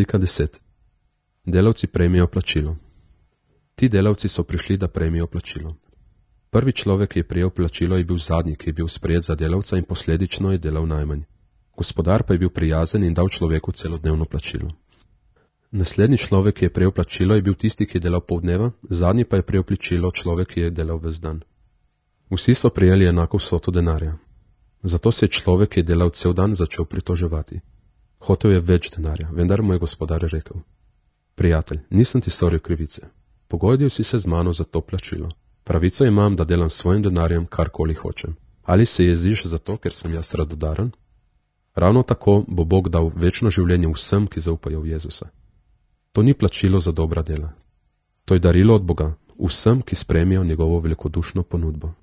Slika 10. Delavci prejmejo plačilo. Ti delavci so prišli, da prejmejo plačilo. Prvi človek, ki je prejel plačilo, je bil zadnji, ki je bil sprejet za delavca in posledično je delal najmanj. Gospodar pa je bil prijazen in dal človeku celodnevno plačilo. Naslednji človek, ki je prejel plačilo, je bil tisti, ki je delal pol dneva, zadnji pa je prejel plačilo človek, ki je delal ves dan. Vsi so prejeli enako vsoto denarja. Zato se je človek, ki je delal cel dan, začel pritoževati. Hotel je več denarja, vendar mu je gospodar rekel: Prijatelj, nisem ti storil krivice. Pogodil si se z mano za to plačilo. Pravico imam, da delam s svojim denarjem karkoli hočem. Ali se jeziš zato, ker sem jaz radodaren? Ravno tako bo Bog dal večno življenje vsem, ki zaupajo v Jezusa. To ni plačilo za dobra dela. To je darilo od Boga vsem, ki sprejmejo njegovo velikodušno ponudbo.